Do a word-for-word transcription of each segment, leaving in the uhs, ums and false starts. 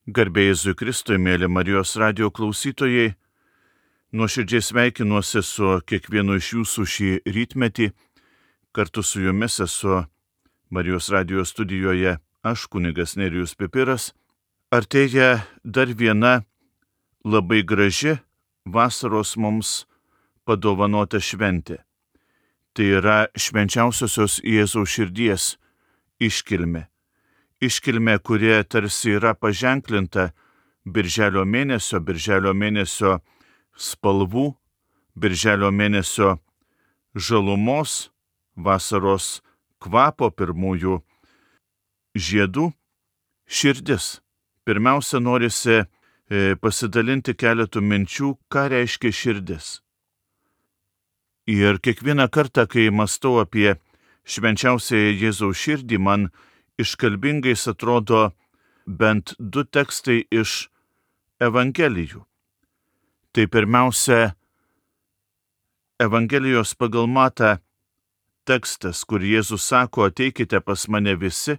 Garbė Jėzui Kristui, mėly Marijos radijo klausytojai, nuoširdžiai sveikinuosi su kiekvienu iš jūsų šį rytmetį. Kartu su jumis esu Marijos radijo studijoje aš, kunigas Nerijus Pipiras. Artėja dar viena labai graži vasaros mums padovanota šventė. Tai yra švenčiausiosios Jėzaus širdies iškilmė. Iškilmė, kurie tarsi yra paženklinta birželio mėnesio, birželio mėnesio spalvų, birželio mėnesio žalumos, vasaros kvapo, pirmųjų žiedų, širdis. Pirmiausia, norisi pasidalinti keletų minčių, ką reiškia širdis. Ir kiekvieną kartą, kai mąstau apie švenčiausiąją Jėzaus širdį, man iškalbingais atrodo bent du tekstai iš Evangelijų. Tai pirmiausia, Evangelijos pagal Matą tekstas, kur Jėzus sako: ateikite pas mane visi,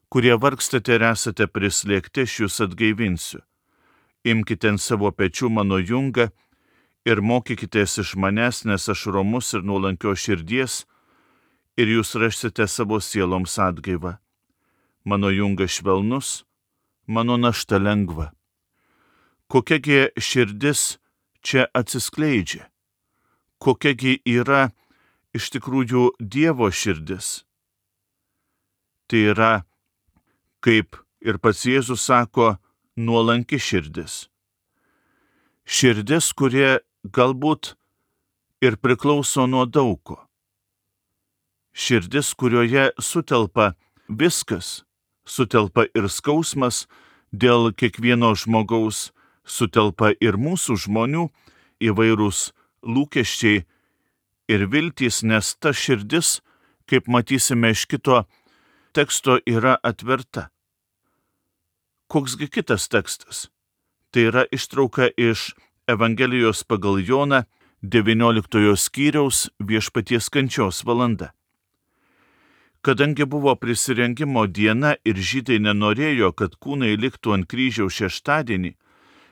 kurie vargstate ir esate prislėgti, aš jūs atgaivinsiu. Imkite ant savo pečių mano jungą ir mokykitės iš manęs, nes aš romus ir nuolankios širdies, ir jūs rasite savo sieloms atgaivą. Mano jungas švelnus, mano našta lengva. Kokiagi širdis čia atsiskleidžia? Kokiagi yra iš tikrųjų Dievo širdis? Tai yra, kaip ir pats Jėzus sako, nuolanki širdis. Širdis, kurie galbūt ir priklauso nuo daugo. Širdis, kurioje sutelpa viskas. Sutelpa ir skausmas dėl kiekvieno žmogaus, sutelpa ir mūsų žmonių įvairūs lūkesčiai ir viltys, nes ta širdis, kaip matysime iš kito teksto, yra atverta. Koksgi kitas tekstas? Tai yra ištrauka iš Evangelijos pagal Joną devynioliktojo skyriaus Viešpaties kančios valanda. Kadangi buvo prisirengimo diena ir žydai nenorėjo, kad kūnai liktų ant kryžiaus šeštadienį,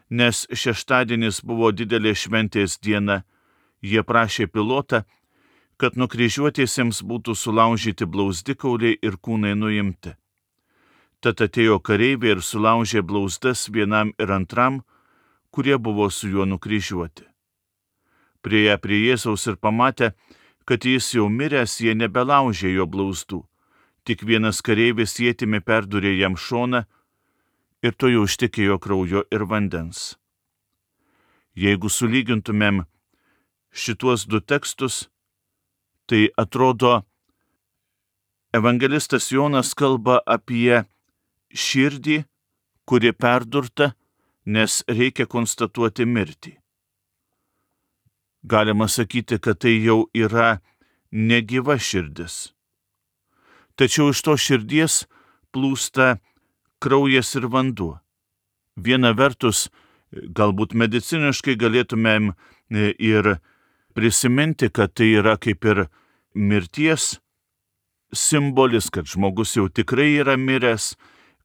nes šeštadienis buvo didelė šventės diena, jie prašė Pilotą, kad nukryžiuotiesiems būtų sulaužyti blauzdikauliai ir kūnai nuimti. Tad atėjo kareiviai ir sulaužė blauzdas vienam ir antram, kurie buvo su juo nukryžiuoti. Priėję prie Jėzaus ir pamatę, kad jis jau miręs, jie nebelaužė jo blauzdų. Tik vienas kareivis ietimi perdūrė jam šoną ir to jau ištekėjo kraujo ir vandens. Jeigu sulygintumėm šituos du tekstus, tai atrodo, evangelistas Jonas kalba apie širdį, kuri perdurta, nes reikia konstatuoti mirtį. Galima sakyti, kad tai jau yra negyva širdis. Tačiau iš to širdies plūsta kraujas ir vanduo. Viena vertus, galbūt mediciniškai galėtumėm ir prisiminti, kad tai yra kaip ir mirties simbolis, kad žmogus jau tikrai yra miręs,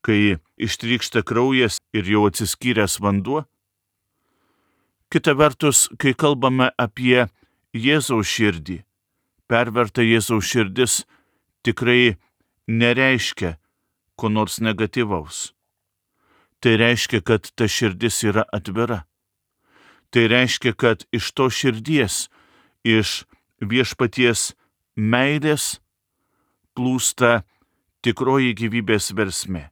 kai ištrykšta kraujas ir jau atsiskyręs vanduo. Kita vertus, kai kalbame apie Jėzaus širdį, perverta Jėzaus širdis tikrai nereiškia ko nors negatyvaus. Tai reiškia, kad ta širdis yra atvira. Tai reiškia, kad iš to širdies, iš Viešpaties meilės plūsta tikroji gyvybės versmė.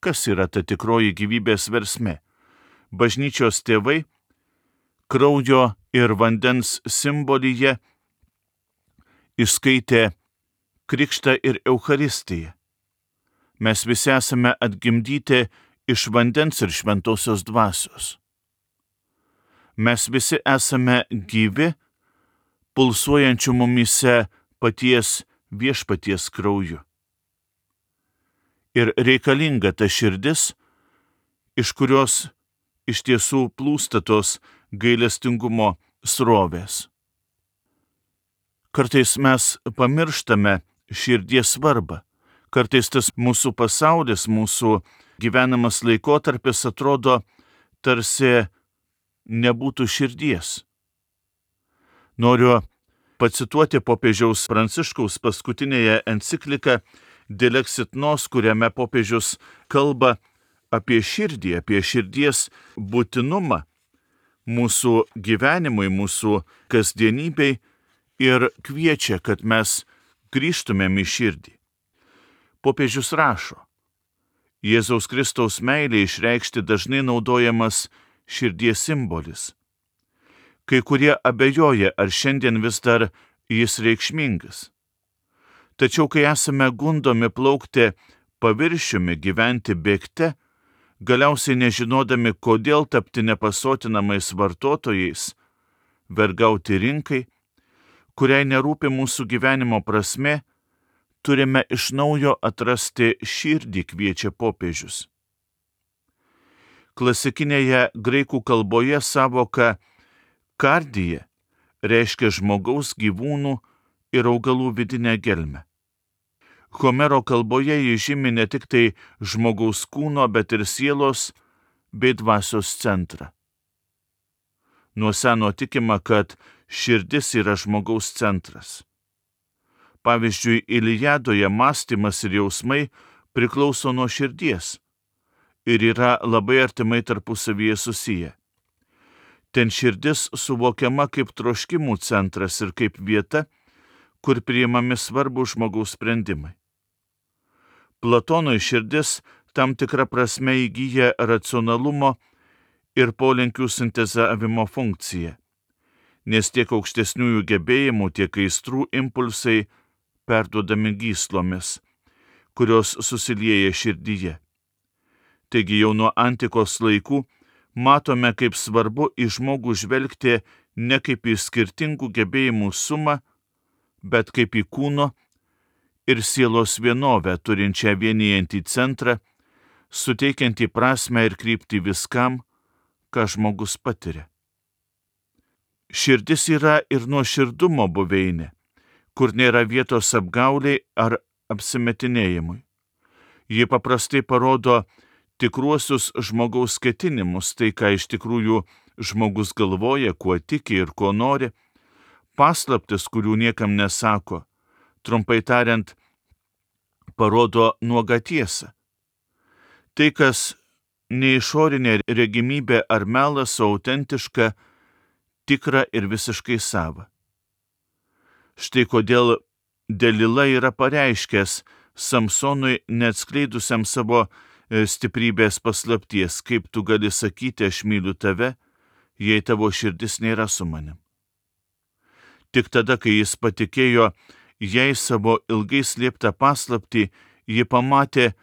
Kas yra ta tikroji gyvybės versmė? Bažnyčios tėvai kraujo ir vandens simbolyje išskaitė krikštą ir Eucharistiją. Mes visi esame atgimdyti iš vandens ir šventosios dvasios. Mes visi esame gyvi, pulsuojančių mumyse paties Viešpaties krauju. Ir reikalinga ta širdis, iš kurios iš tiesų plūsta tos gailestingumo srovės. Kartais mes pamirštame širdies svarbą. Kartais tas mūsų pasaulis, mūsų gyvenamas laikotarpis atrodo tarsi nebūtų širdies. Noriu pacituoti popiežiaus Pranciškaus paskutinėje encikliką Dilexit Nos, kuriame popiežius kalba apie širdį, apie širdies būtinumą mūsų gyvenimui, mūsų kasdienybei ir kviečia, kad mes grįžtumėm į širdį. Popiežius rašo, Jėzaus Kristaus meilė išreikšti dažnai naudojamas širdies simbolis. Kai kurie abejoja, ar šiandien vis dar jis reikšmingas. Tačiau kai esame gundomi plaukti paviršiumi, gyventi bėgte, galiausiai nežinodami, kodėl tapti nepasotinamais vartotojais, vergauti rinkai, kuriai nerūpi mūsų gyvenimo prasmė, turime iš naujo atrasti širdį, kviečia popiežius. Klasikinėje graikų kalboje savoka kardija reiškia žmogaus, gyvūnų ir augalų vidinę gelmę. Homero kalboje jį žymi ne tik tai žmogaus kūno, bet ir sielos bei dvasios centrą. Nuo seno tikima, kad širdis yra žmogaus centras. Pavyzdžiui, Iliadoje mąstymas ir jausmai priklauso nuo širdies ir yra labai artimai tarpusavyje susiję. Ten širdis suvokiama kaip troškimų centras ir kaip vieta, kur priimami svarbūs žmogaus sprendimai. Platonui širdis tam tikrą prasme įgyja racionalumo ir polinkių sintezavimo funkciją, nes tiek aukštesniųjų gebėjimų, tiek aistrų impulsai perduodami gyslomis, kurios susilieja širdyje. Taigi jau nuo antikos laikų matome, kaip svarbu į žmogų žvelgti ne kaip į skirtingų gebėjimų sumą, bet kaip į kūno ir sielos vienovę, turinčią vienijantį centrą, suteikiantį prasmę ir kryptį viskam, ką žmogus patiria. Širdis yra ir nuoširdumo buveinė, kur nėra vietos apgauliai ar apsimetinėjimui. Ji paprastai parodo tikruosius žmogaus ketinimus, tai ką iš tikrųjų žmogus galvoja, kuo tiki ir ko nori, paslaptis, kurių niekam nesako, trumpai tariant, parodo nuogą tiesą. Tai, kas ne išorinė regimybė ar melas, o autentiška, tikra ir visiškai sava. Štai kodėl Delila yra pareiškęs Samsonui, neatskleidusiam savo stiprybės paslapties, kaip tu gali sakyti, aš myliu tave, jei tavo širdis nėra su manim. Tik tada, kai jis patikėjo jai savo ilgai slėptą paslaptį, ji pamatė,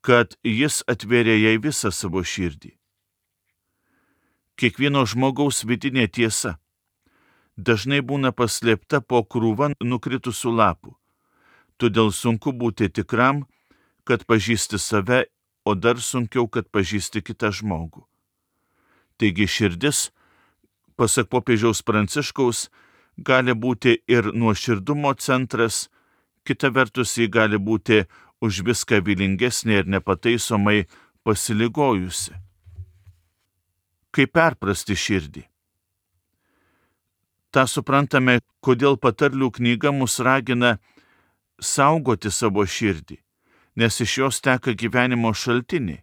kad jis atvėrė jai visą savo širdį. Kiekvieno žmogaus vidinė tiesa dažnai būna paslėpta po krūva nukritusių lapų, todėl sunku būti tikram, kad pažįsti save, o dar sunkiau, kad pažįsti kitą žmogų. Taigi širdis, pasak popiežiaus Pranciškaus, gali būti ir nuoširdumo centras, kita vertus ji gali būti už viską vylingesnė ir nepataisomai pasiligojusi. Kaip perprasti širdį? Ta suprantame, kodėl patarlių knyga mus ragina saugoti savo širdį, nes iš jos teka gyvenimo šaltiniai.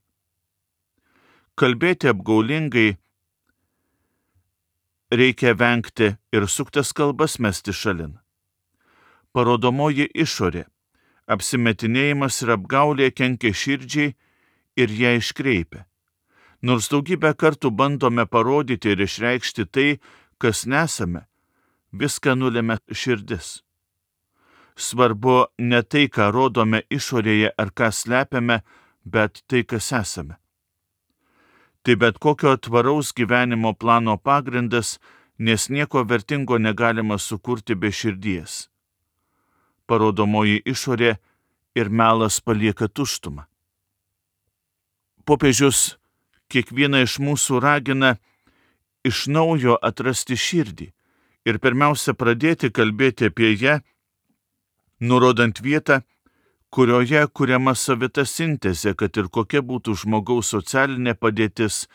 Kalbėti apgaulingai reikia vengti ir suktas kalbas mesti šalin. Parodomoji išorė, apsimetinėjimas ir apgaulė kenkia širdžiai ir ją iškreipia. Nors daugybę kartų bandome parodyti ir išreikšti tai, kas nesame, viską nulemia širdis. Svarbu ne tai, ką rodome išorėje ar ką slepiame, bet tai, kas esame. Tai bet kokio tvaraus gyvenimo plano pagrindas, nes nieko vertingo negalima sukurti be širdies. Parodomoji išorė ir melas palieka tuštumą. Popiežius kiekvieną iš mūsų ragina iš naujo atrasti širdį ir pirmiausia pradėti kalbėti apie ją, nurodant vietą, kurioje kuriama savita sintezė, kad ir kokia būtų žmogaus socialinė padėtis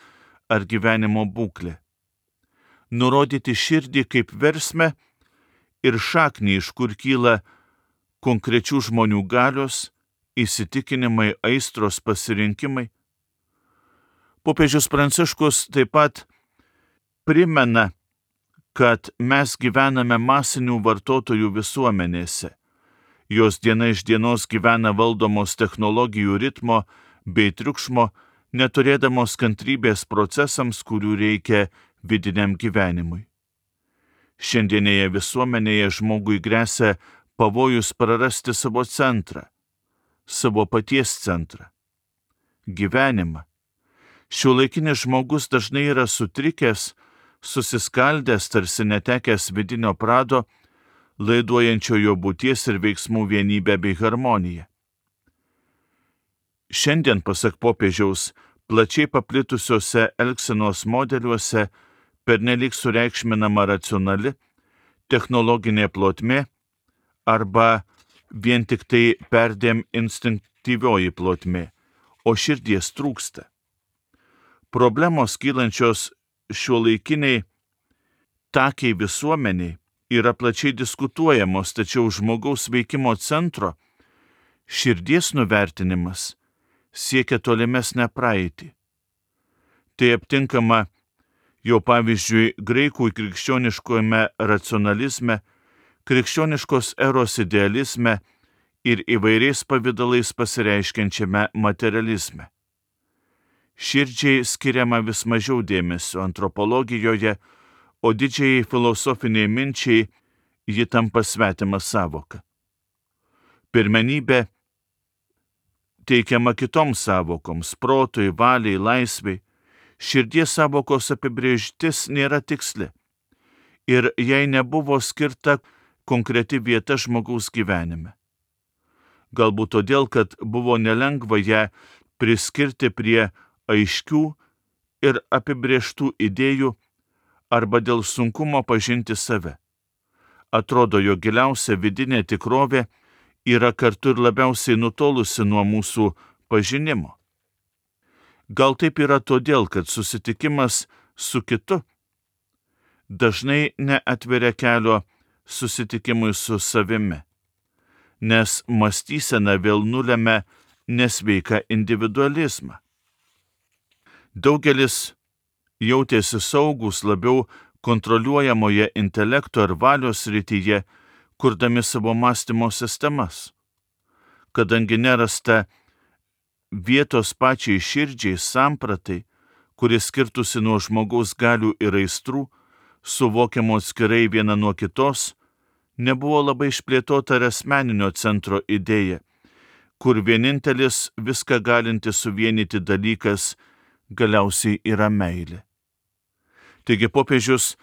ar gyvenimo būklė. Nurodyti širdį kaip versmę ir šaknį, iš kur kyla konkrečių žmonių galios, įsitikinimai, aistros, pasirinkimai. Popiežius Pranciškus taip pat primena, kad mes gyvename masinių vartotojų visuomenėse. Jos diena iš dienos gyvena valdomos technologijų ritmo bei triukšmo, neturėdamos kantrybės procesams, kurių reikia vidiniam gyvenimui. Šiandienėje visuomenėje žmogui gresia pavojus prarasti savo centrą, savo paties centrą, gyvenimą. Šiuolaikinis žmogus dažnai yra sutrikęs, susiskaldęs, tarsi netekęs vidinio prado, laiduojančio jo būties ir veiksmų vienybę bei harmoniją. Šiandien, pasak popiežiaus, plačiai paplitusiuose elgsenos modeliuose pernelyg sureikšminama racionali, technologinė plotmė arba vien tik tai perdėm instinktyvioji plotmė, o širdies trūksta. Problemos kylančios šiuolaikiniai takiai visuomeniai yra plačiai diskutuojamos, tačiau žmogaus veikimo centro širdies nuvertinimas siekia tolimesnę praeitį. Tai aptinkama jau pavyzdžiui graikų krikščioniškojame racionalizme, krikščioniškos eros idealizme ir įvairiais pavidalais pasireiškiančiame materializme. Širdžiai skiriama vis mažiau dėmesio antropologijoje, o didžiai filosofiniai minčiai ji tampa svetima savoka. Pirmenybė teikiama kitoms savokoms – protui, valiai, laisvei. Širdies savokos apibrėžtis nėra tiksli ir jai nebuvo skirta konkreti vieta žmogaus gyvenime. Galbūt todėl, kad buvo nelengva ją priskirti prie aiškių ir apibrėžtų idėjų arba dėl sunkumo pažinti save. Atrodo, jo giliausia vidinė tikrovė yra kartu ir labiausiai nutolusi nuo mūsų pažinimo. Gal taip yra todėl, kad susitikimas su kitu dažnai neatveria kelio susitikimui su savimi, nes mąstysena vėl nulemia nesveiką individualizmą. Daugelis jautėsi saugus labiau kontroliuojamoje intelekto ir valios srityje, kurdami savo mąstymo sistemas. Kadangi nerasta vietos pačiai širdžiai sampratai, kuris skirtusi nuo žmogaus galių ir aistrų, suvokiamo atskirai viena nuo kitos, nebuvo labai išplėtota ir asmeninio centro idėja, kur vienintelis viską galinti suvienyti dalykas galiausiai yra meilė. Taigi popiežius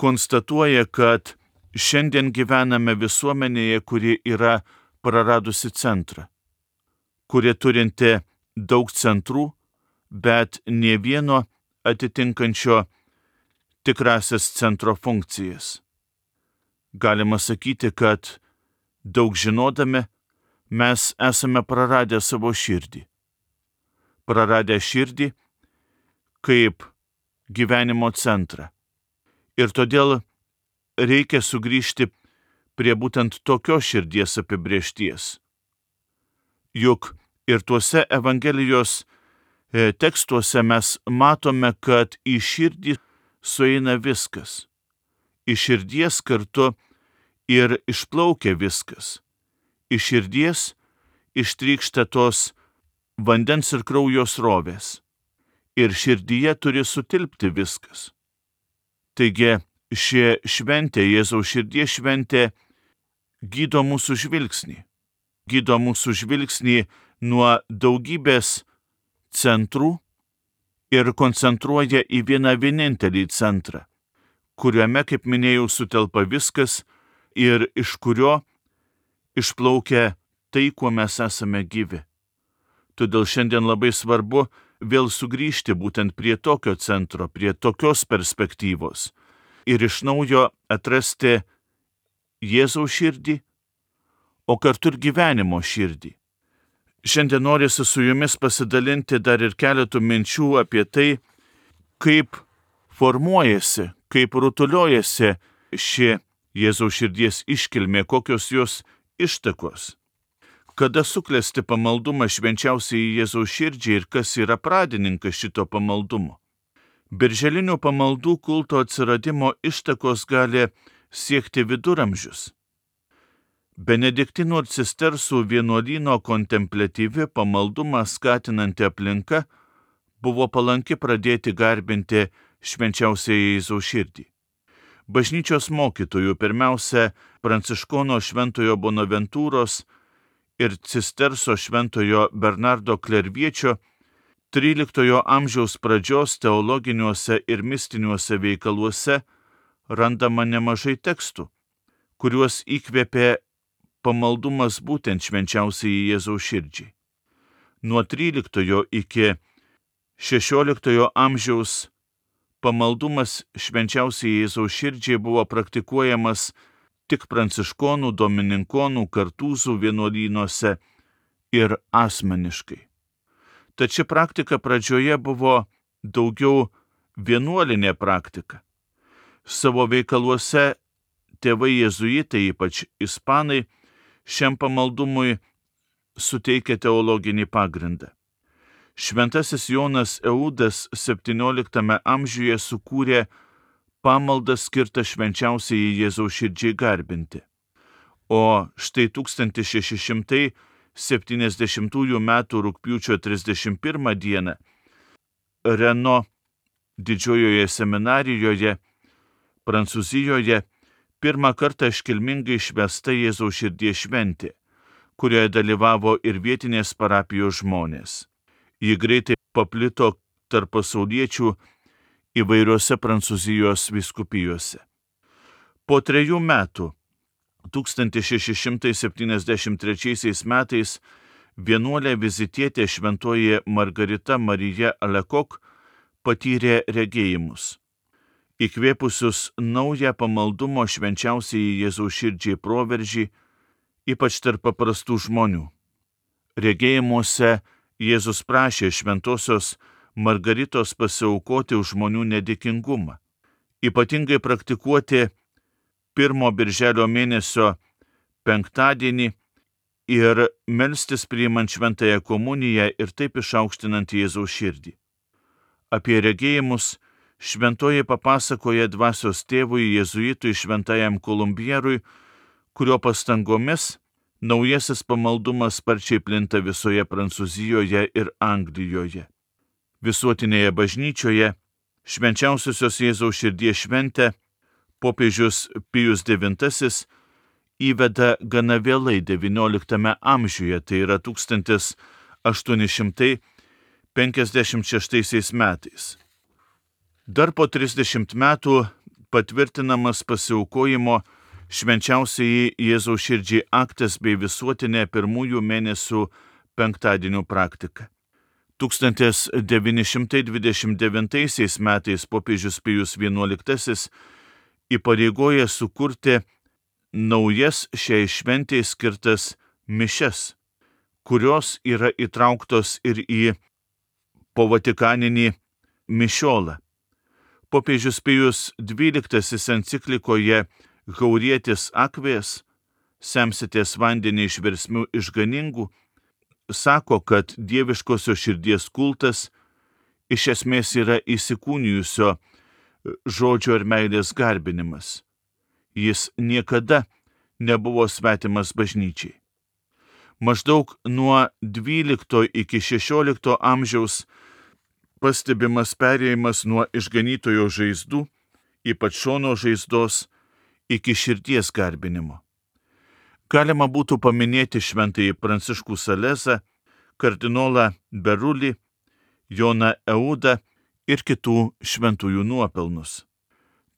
konstatuoja, kad šiandien gyvename visuomenėje, kuri yra praradusi centrą, kuri turinti daug centrų, bet nė vieno atitinkančio tikrasias centro funkcijas. Galima sakyti, kad daug žinodami mes esame praradę savo širdį. Praradę širdį kaip gyvenimo centrą. Ir todėl reikia sugrįžti prie būtent tokios širdies apibrėžties. Juk ir tuose Evangelijos tekstuose mes matome, kad į širdį sueina viskas. Iš širdies kartu ir išplaukia viskas. Iš širdies ištrykšta tos vandens ir kraujo srovės. Ir širdyje turi sutilpti viskas. Taigi, ši šventė, Jėzaus širdies šventė, gydo mūsų žvilgsnį. Gydo mūsų žvilgsnį nuo daugybės centrų ir koncentruoja į vieną vienintelį centrą, kuriame, kaip minėjau, sutelpa viskas ir iš kurio išplaukia tai, kuo mes esame gyvi. Todėl šiandien labai svarbu vėl sugrįžti būtent prie tokio centro, prie tokios perspektyvos ir iš naujo atrasti Jėzaus širdį, o kartu ir gyvenimo širdį, Šiandien norisi su jumis pasidalinti dar ir keletų minčių apie tai, kaip formuojasi, kaip rutuliojasi ši Jėzaus širdies iškilmė, kokios jos ištakos. Kada suklesti pamaldumas švenčiausiai Jėzaus širdžiai ir kas yra pradininkas šito pamaldumo. Birželinių pamaldų kulto atsiradimo ištakos gali siekti viduramžius. Benediktinų ir cistersų vienuolyno kontempliatyvi pamaldumą skatinanti aplinka buvo palanki pradėti garbinti švenčiausiąją Jėzaus širdį. Bažnyčios mokytojų, pirmiausia, Pranciškono šventojo Bonaventūros ir cisterso šventojo Bernardo Klerviečio tryliktojo amžiaus pradžios teologiniuose ir mistiniuose veikaluose randama nemažai tekstų, kuriuos įkvėpė pamaldumas būtent švenčiausiai Jėzaus širdžiai. Nuo tryliktojo iki šešioliktojo amžiaus pamaldumas švenčiausiai Jėzaus širdžiai buvo praktikuojamas tik pranciškonų, domininkonų, kartūzų vienuolynuose ir asmeniškai. Tad ši praktika pradžioje buvo daugiau vienuolinė praktika. Savo veikaluose tėvai jėzuitai, ypač ispanai, šiam pamaldumui suteikia teologinį pagrindą. Šventasis Jonas Eudas septynioliktame amžiuje sukūrė pamaldą skirtą švenčiausiai Jėzaus širdžiai garbinti. O štai tūkstantis šeši šimtai septyniasdešimtųjų metų rugpjūčio trisdešimt pirmą dieną Reno didžiojoje seminarijoje, Prancūzijoje, pirmą kartą iškilmingai švęsta Jėzaus širdies šventė, kurioje dalyvavo ir vietinės parapijos žmonės. Ji greitai paplito tarp pasauliečių įvairiose Prancūzijos vyskupijose. Po trejų metų, tūkstantis šeši šimtai septyniasdešimt trečiaisiais metais, vienuolė vizitietė šventoji Margarita Marija Alekok patyrė regėjimus, įkvėpusius naują pamaldumo švenčiausiai Jėzaus širdžiai proveržį, ypač tarp paprastų žmonių. Regėjimuose Jėzus prašė šventosios Margaritos pasiaukoti už žmonių nedėkingumą, ypatingai praktikuoti pirmo birželio mėnesio penktadienį ir melstis priimant šventąją komuniją ir taip išaukštinant Jėzaus širdį. Apie regėjimus šventoji papasakoja dvasios tėvui jėzuitui šventajam Kolumbierui, kurio pastangomis naujasis pamaldumas sparčiai plinta visoje Prancūzijoje ir Anglijoje. Visuotinėje bažnyčioje švenčiausiosios Jėzaus širdies šventę popiežius Pijus devintasis įveda gana vėlai devynioliktame amžiuje, tai yra tūkstantis aštuoni šimtai penkiasdešimt šeštaisiais metais. Dar po trisdešimt metų patvirtinamas pasiaukojimo švenčiausiai Jėzaus širdžiai aktas bei visuotinė pirmųjų mėnesių penktadienių praktika. tūkstantis devyni šimtai dvidešimt devintaisiais metais popiežius Pijus vienuoliktasis įpareigoja sukurti naujas šiai šventei skirtas mišias, kurios yra įtrauktos ir į povatikaninį mišiolą. Popiežius Pijus dvyliktasis enciklikoje Haurietis Akvės, semsitės vandenį iš versmių išganingų, sako, kad dieviškosios širdies kultas iš esmės yra įsikūnijusio žodžio ir meilės garbinimas. Jis niekada nebuvo svetimas bažnyčiai. Maždaug nuo dvylikto iki šešiolikto amžiaus pastebimas perėjimas nuo išganytojo žaizdų, ypač šono žaizdos, iki širdies garbinimo. Galima būtų paminėti šventąjį Pranciškų Salezą, kardinolą Berulį, Joną Eudą ir kitų šventųjų nuopelnus.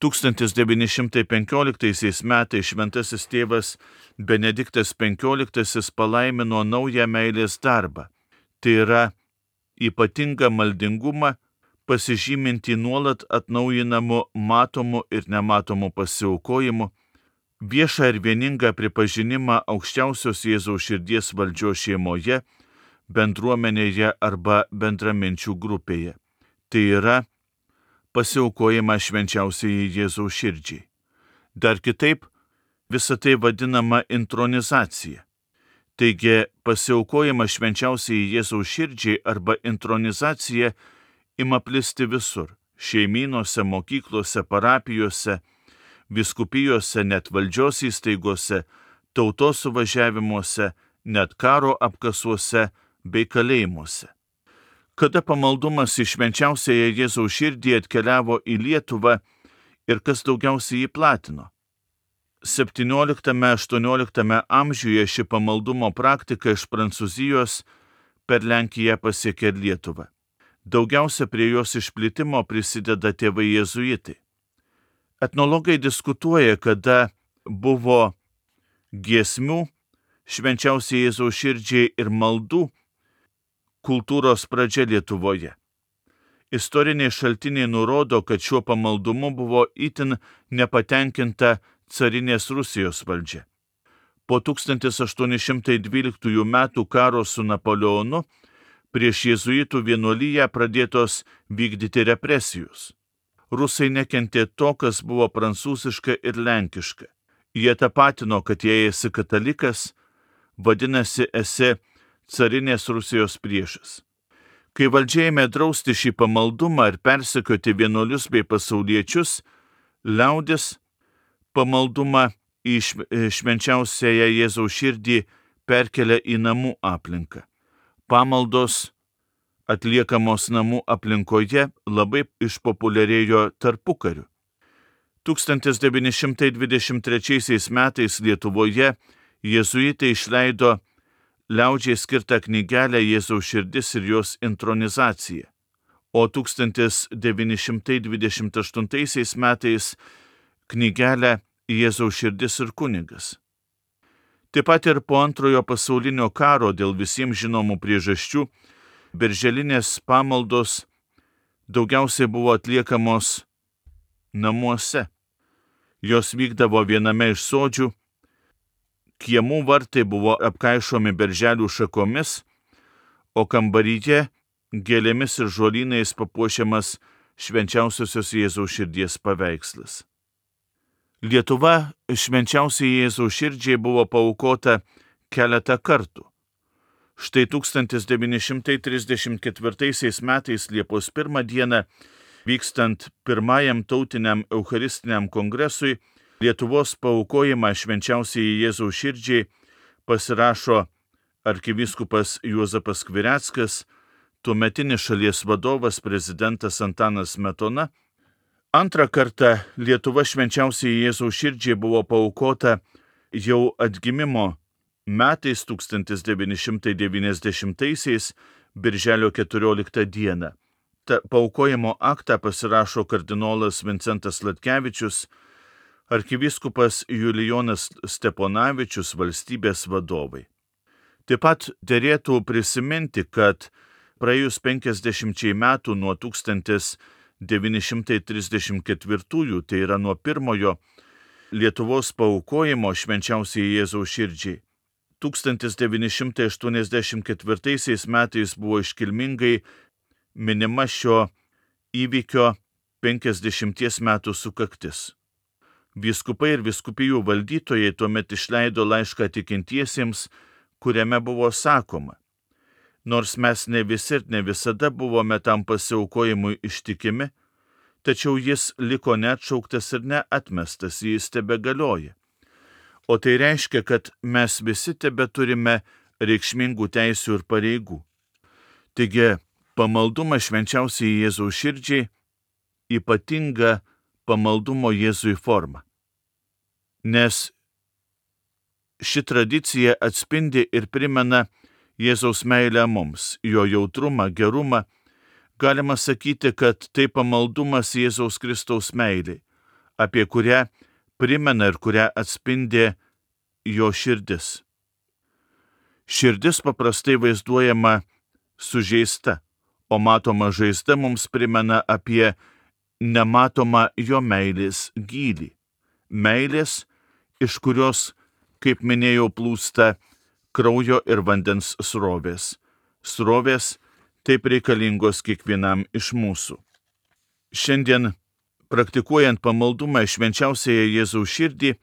tūkstantis devyni šimtai penkioliktaisiais metais šventasis tėvas Benediktas penkioliktasis palaimino naują meilės darbą, tai yra ypatingą maldingumą, pasižyminti nuolat atnaujinamu matomu ir nematomu pasiaukojimu, viešą ir vieningą pripažinimą aukščiausios Jėzaus širdies valdžios šeimoje, bendruomenėje arba bendraminčių grupėje. Tai yra pasiaukojimą švenčiausiai Jėzaus širdžiai. Dar kitaip, visa tai vadinama intronizacija. Taigi, pasiaukojimą švenčiausiai Jėzaus širdžiai arba intronizacija ima plisti visur – šeimynose, mokyklose, parapijose, vyskupijose, net valdžios įstaigose, tautos suvažiavimuose, net karo apkasuose bei kalėjimuose. Kada pamaldumas į švenčiausiąją Jėzaus širdį atkeliavo į Lietuvą ir kas daugiausiai jį platino? septynioliktame aštuonioliktame amžiuje ši pamaldumo praktika iš Prancūzijos per Lenkiją pasiekė Lietuvą. Daugiausia prie jos išplitimo prisideda tėvai jėzuitai. Etnologai diskutuoja, kada buvo giesmių švenčiausiai Jėzaus širdžiai ir maldų kultūros pradžia Lietuvoje. Istoriniai šaltiniai nurodo, kad šiuo pamaldumu buvo itin nepatenkinta carinės Rusijos valdžia. Po tūkstantis aštuoni šimtai dvyliktųjų metų karo su Napoleonu prieš jėzuitų vienuolyją pradėtos vykdyti represijos. Rusai nekentė to, kas buvo prancūziška ir lenkiška. Jie tapatino, kad jei esi katalikas, vadinasi esi carinės Rusijos priešas. Kai valdžia ėmė drausti šį pamaldumą ir persekioti vienuolius bei pasauliečius, liaudis pamaldumą į švenčiausiąją Jėzaus širdį perkelia į namų aplinką. Pamaldos atliekamos namų aplinkoje labai išpopuliarėjo tarpukariu. tūkstantis devyni šimtai dvidešimt trečiaisiais metais Lietuvoje jėzuitai išleido liaudžiai skirtą knygelę Jėzaus širdis ir jos intronizacija, o tūkstantis devyni šimtai dvidešimt aštuntaisiais metais knygelę Jėzaus širdis ir kunigas. Taip pat ir po antrojo pasaulinio karo dėl visiems žinomų priežasčių birželinės pamaldos daugiausiai buvo atliekamos namuose. Jos vykdavo viename iš sodžių, kiemų vartai buvo apkaišomi berželių šakomis, o kambaryje gėlėmis ir žolynais papuošiamas švenčiausiosios Jėzaus širdies paveikslas. Lietuva švenčiausiai Jėzaus širdžiai buvo paaukota keletą kartų. Štai tūkstantis devyni šimtai trisdešimt ketvirtaisiais metais Liepos pirmą dieną, vykstant pirmajam tautiniam eucharistiniam kongresui, Lietuvos paaukojimą švenčiausiai Jėzaus širdžiai pasirašo arkivyskupas Juozapas Skvireckas, tuometinis šalies vadovas prezidentas Antanas Smetona. Antrą kartą Lietuva švenčiausiai Jėzaus širdžiai buvo paaukota jau atgimimo metais tūkstantis devyni šimtai devyniasdešimtaisiais birželio keturioliktą dieną. Ta paaukojimo aktą pasirašo kardinolas Vincentas Latkevičius, arkivyskupas Julijonas Steponavičius, valstybės vadovai. Taip pat derėtų prisiminti, kad praėjus penkiasdešimčiai metų nuo tūkstantis devyni šimtai trisdešimt ketvirtųjų, tai yra nuo pirmojo Lietuvos paaukojimo švenčiausiai Jėzaus širdžiai, tūkstantis devyni šimtai aštuoniasdešimt ketvirtaisiais metais buvo iškilmingai minima šio įvykio penkiasdešimties metų sukaktis. Vyskupai ir vyskupijų valdytojai tuomet išleido laišką tikintiesiems, kuriame buvo sakoma: nors mes ne visi ir ne visada buvome tam pasiaukojimui ištikimi, tačiau jis liko neatšauktas ir neatmestas, jis tebegalioja. O tai reiškia, kad mes visi tebeturime reikšmingų teisių ir pareigų. Taigi, pamaldumas švenčiausiai Jėzaus širdžiai ypatinga pamaldumo Jėzui forma. Nes ši tradicija atspindi ir primena Jėzaus meilę mums, jo jautrumą, gerumą. Galima sakyti, kad tai pamaldumas Jėzaus Kristaus meilei, apie kurią primena ir kurią atspindi jo širdis. Širdis paprastai vaizduojama sužeista, o matoma žaizda mums primena apie nematomą jo meilės gylį. Meilės, iš kurios, kaip minėjau, plūsta kraujo ir vandens srovės. srovės taip reikalingos kiekvienam iš mūsų. Šiandien, praktikuojant pamaldumą švenčiausiąją Jėzaus širdį,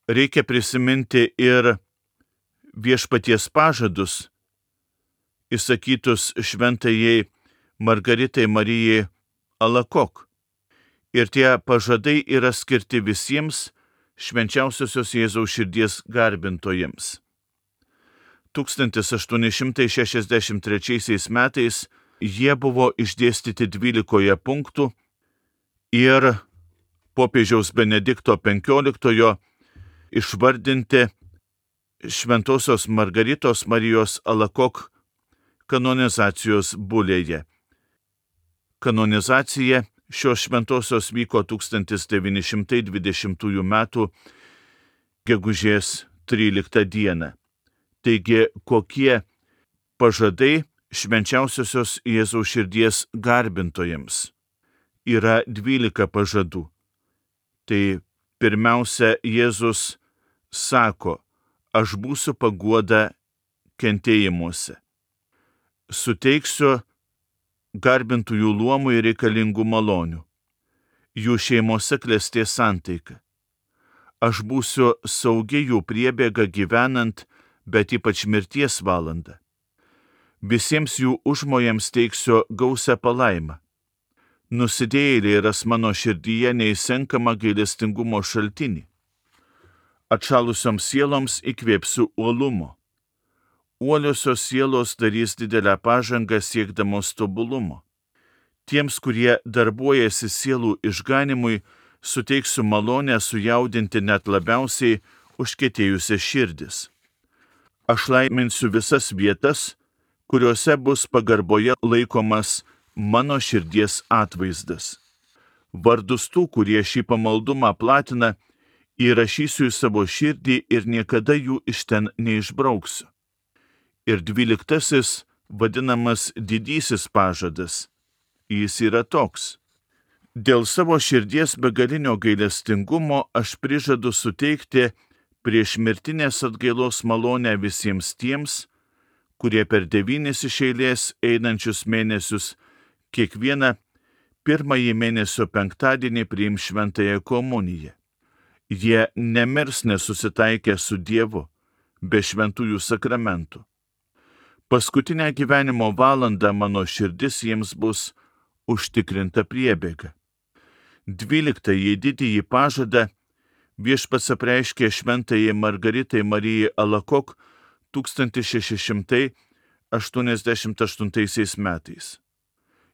reikia prisiminti ir viešpaties pažadus, įsakytus šventajai Margaritai Marijai Alakok. Ir tie pažadai yra skirti visiems švenčiausiosios Jėzaus širdies garbintojams. tūkstantis aštuoni šimtai šešiasdešimt trečiaisiais metais jie buvo išdėstyti dvylikoje punktų ir popiežiaus Benedikto penkioliktojo išvardinti šventosios Margaritos Marijos Alakok kanonizacijos bulėje. Kanonizacija šios šventosios vyko tūkstantis devyni šimtai dvidešimtųjų metų gegužės tryliktą dieną. Taigi, kokie pažadai švenčiausiosios Jėzaus širdies garbintojams? Yra dvylika pažadų. Tai pirmiausia, Jėzus sako, aš būsiu paguoda kentėjimuose. Suteiksiu garbintųjų luomui reikalingų malonių. Jų šeimose klestės santaika. Aš būsiu saugi jų priebėga gyvenant, bet ypač mirties valandą. Visiems jų užmojams teiksiu gausią palaimą. Nusidėjėliai ras mano širdyje neįsenkamą gailestingumo šaltinį. Atšalusioms sieloms įkvėpsiu uolumo. Uoliosios sielos darys didelę pažangą siekdamos tobulumo. Tiems, kurie darbuojasi sielų išganimui, suteiksiu malonę sujaudinti net labiausiai užkietėjusias širdis. Aš laiminsiu visas vietas, kuriuose bus pagarboje laikomas mano širdies atvaizdas. Vardus tų, kurie šį pamaldumą platina, įrašysiu į savo širdį ir niekada jų iš ten neišbrauksiu. Ir dvyliktasis, vadinamas didysis pažadas, jis yra toks. Dėl savo širdies begalinio gailestingumo aš prižadu suteikti prieš mirtinės atgailos malonę visiems tiems, kurie per devynis iš eilės einančius mėnesius kiekvieną pirmąjį mėnesio penktadienį priims šventąją komuniją. Jie nemirs nesusitaikę su Dievu be šventųjų sakramentų. Paskutinę gyvenimo valandą mano širdis jiems bus užtikrinta priebėga. Dvyliktąjį didįjį pažadą viešpats apreiškė šventajai Margaritai Marijai Alakok tūkstantis šeši šimtai aštuoniasdešimt aštuntaisiais metais.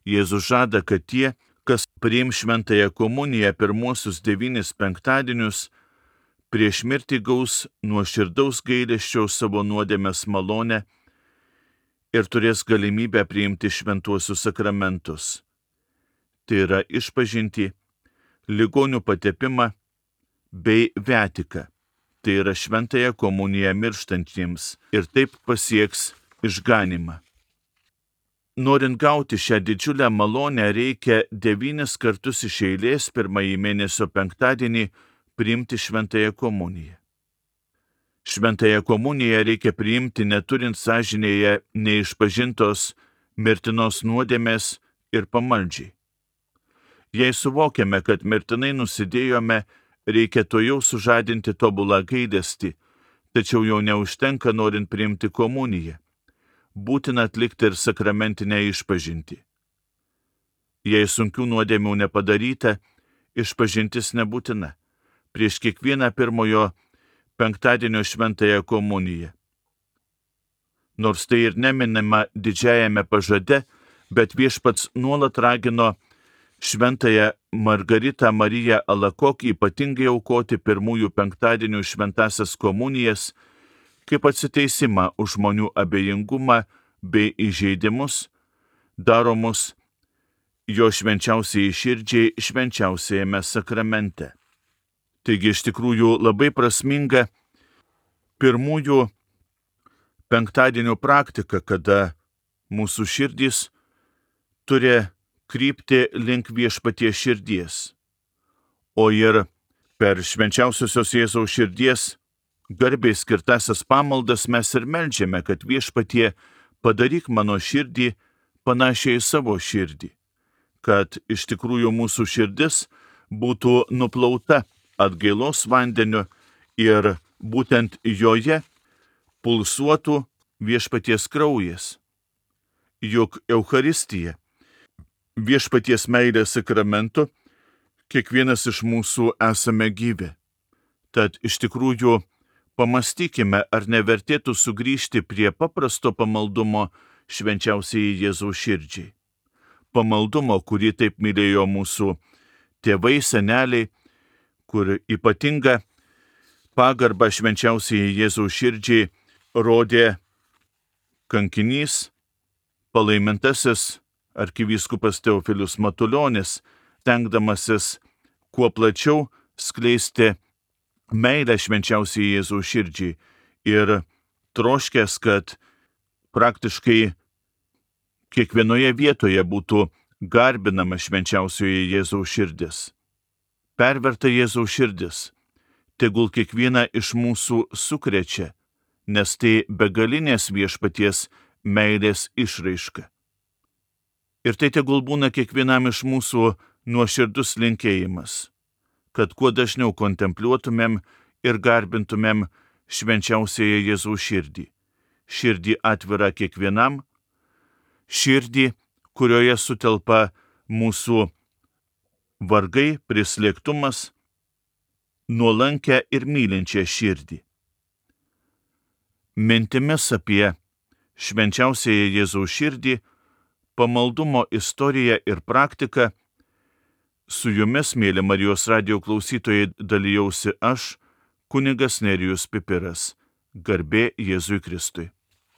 Jėzus žada, kad tie, kas priims šventąją komuniją pirmuosius devynis penktadienius, prieš mirtį gaus nuoširdaus gailesčio savo nuodėmės malonę ir turės galimybę priimti šventuosius sakramentus. Tai yra išpažintį, ligonių patepimą bei viatiką. Tai yra šventąją komuniją mirštantiems ir taip pasieks išganimą. Norint gauti šią didžiulę malonę, reikia devynis kartus iš eilės pirmąjį mėnesio penktadienį priimti šventąją komuniją. Šventąją komuniją reikia priimti neturint sąžinėje neišpažintos mirtinos nuodėmės ir pamaldžiai. Jei suvokiame, kad mirtinai nusidėjome, reikia tojau sužadinti tobulą gailestį, tačiau jau neužtenka norint priimti komuniją. Būtina atlikti ir sakramentinę išpažintį. Jei sunkių nuodėmių nepadaryta, išpažintis nebūtina. Prieš kiekvieną pirmojo penktadienio šventąją komuniją. Nors tai ir neminima didžiajame pažade, bet viešpats nuolat ragino šventąją Margaritą Mariją Alakok ypatingai aukoti pirmųjų penktadienių šventąsias komunijas, kaip atsiteisimą už žmonių abejingumą bei įžeidimus, daromus jo švenčiausiai širdžiai švenčiausiajame sakramente. Taigi iš tikrųjų labai prasminga pirmųjų penktadienių praktika, kada mūsų širdys turi krypti link viešpaties širdies, o ir per švenčiausiosios Jėzaus širdies garbiai skirtasias pamaldas mes ir meldžiame, kad viešpatie padaryk mano širdį panašiai į savo širdį, kad iš tikrųjų mūsų širdis būtų nuplauta atgailos vandeniu ir būtent joje pulsuotų viešpaties kraujas. Juk Eucharistija, viešpaties meilės sakramentu, kiekvienas iš mūsų esame gyvi. Tad iš tikrųjų pamastykime, ar nevertėtų sugrįžti prie paprasto pamaldumo švenčiausiai Jėzaus širdžiai. Pamaldumo, kurį taip mylėjo mūsų tėvai, seneliai, kur ypatinga pagarba švenčiausiai Jėzaus širdžiai rodė kankinys, palaimintasis arkivyskupas Teofilius Matulionis, stengdamasis kuo plačiau skleisti meilę švenčiausiai Jėzaus širdžiai ir troškęs, kad praktiškai kiekvienoje vietoje būtų garbinama švenčiausioje Jėzaus širdis. Perverta Jėzaus širdis, tegul kiekvieną iš mūsų sukrečia, nes tai begalinės viešpaties meilės išraiška. Ir tai tegul būna kiekvienam iš mūsų nuoširdus linkėjimas, kad kuo dažniau kontempliuotumėm ir garbintumėm švenčiausiąją Jėzaus širdį, širdį atvirą kiekvienam, širdį, kurioje sutelpa mūsų vargai, prislėgtumas, nuolankę ir mylinčią širdį. Mintimis apie švenčiausiąją Jėzaus širdį, pamaldumo istoriją ir praktiką su jumis, mėly Marijos radijo klausytojai, dalijausi aš, kunigas Nerijus Pipiras. Garbė Jėzui Kristui.